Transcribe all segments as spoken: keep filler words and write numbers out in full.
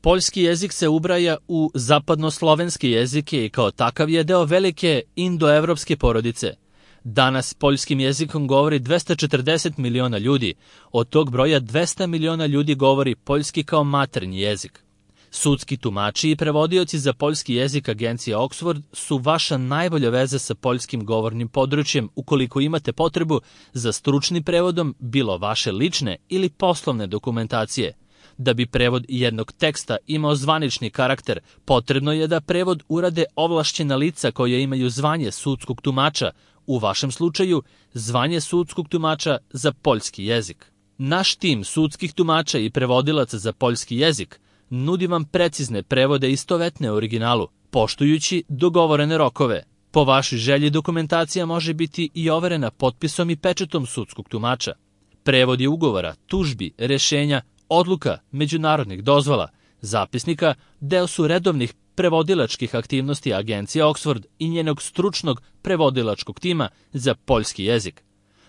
Poljski jezik se ubraja u zapadnoslovenski jezike i kao takav je deo velike indoevropske porodice. Danas poljskim jezikom govori dvesta četrdeset miliona ljudi, od tog broja dvesta miliona ljudi govori poljski kao maternji jezik. Sudski tumači i prevodioci za poljski jezik agencije Oxford su vaša najbolja veza sa poljskim govornim područjem ukoliko imate potrebu za stručnim prevodom bilo vaše lične ili poslovne dokumentacije. Da bi prevod jednog teksta imao zvanični karakter, potrebno je da prevod urade ovlašćena lica koja imaju zvanje sudskog tumača, u vašem slučaju zvanje sudskog tumača za poljski jezik. Naš tim sudskih tumača i prevodilaca za poljski jezik nudi vam precizne prevode istovetne originalu, poštujući dogovorene rokove. Po vašoj želji dokumentacija može biti i overena potpisom i pečetom sudskog tumača. Prevodi ugovora, tužbi, rešenja, odluka, međunarodnih dozvola, zapisnika deo su redovnih prevodilačkih aktivnosti agencije Oxford i njenog stručnog prevodilačkog tima za poljski jezik.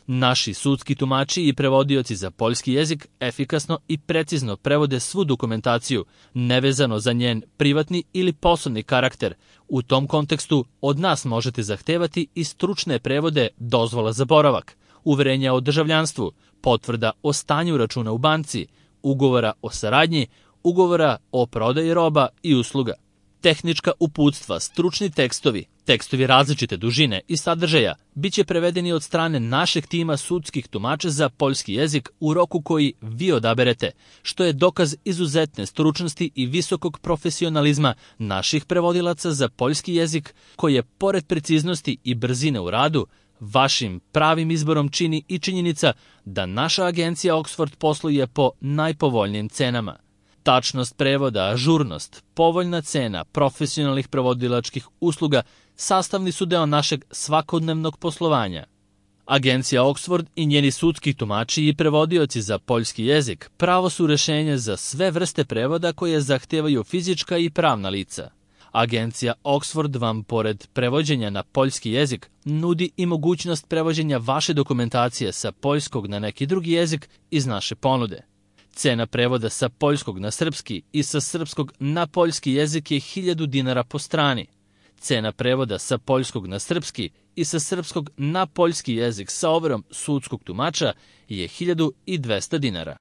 Naši sudski tumači i prevodioci za poljski jezik efikasno i precizno prevode svu dokumentaciju, nevezano za njen privatni ili poslovni karakter. U tom kontekstu od nas možete zahtevati i stručne prevode dozvola za boravak, uverenja o državljanstvu, potvrda o stanju računa u banci, ugovora o saradnji, ugovora o prodaji roba i usluga. Tehnička uputstva, stručni tekstovi, tekstovi različite dužine i sadržaja biće prevedeni od strane našeg tima sudskih tumača za poljski jezik u roku koji vi odaberete, što je dokaz izuzetne stručnosti i visokog profesionalizma naših prevodilaca za poljski jezik, koji je, pored preciznosti i brzine u radu, vašim pravim izborom čini i činjenica da naša agencija Oxford posluje po najpovoljnijim cenama. Tačnost prevoda, ažurnost, povoljna cena profesionalnih prevodilačkih usluga sastavni su deo našeg svakodnevnog poslovanja. Agencija Oxford i njeni sudski tumači i prevodioci za poljski jezik pravo su rešenje za sve vrste prevoda koje zahtevaju fizička i pravna lica. Agencija Oxford vam, pored prevođenja na poljski jezik, nudi i mogućnost prevođenja vaše dokumentacije sa poljskog na neki drugi jezik iz naše ponude. Cena prevoda sa poljskog na srpski i sa srpskog na poljski jezik je hiljadu dinara po strani. Cena prevoda sa poljskog na srpski i sa srpskog na poljski jezik sa overom sudskog tumača je hiljadu dvesta dinara.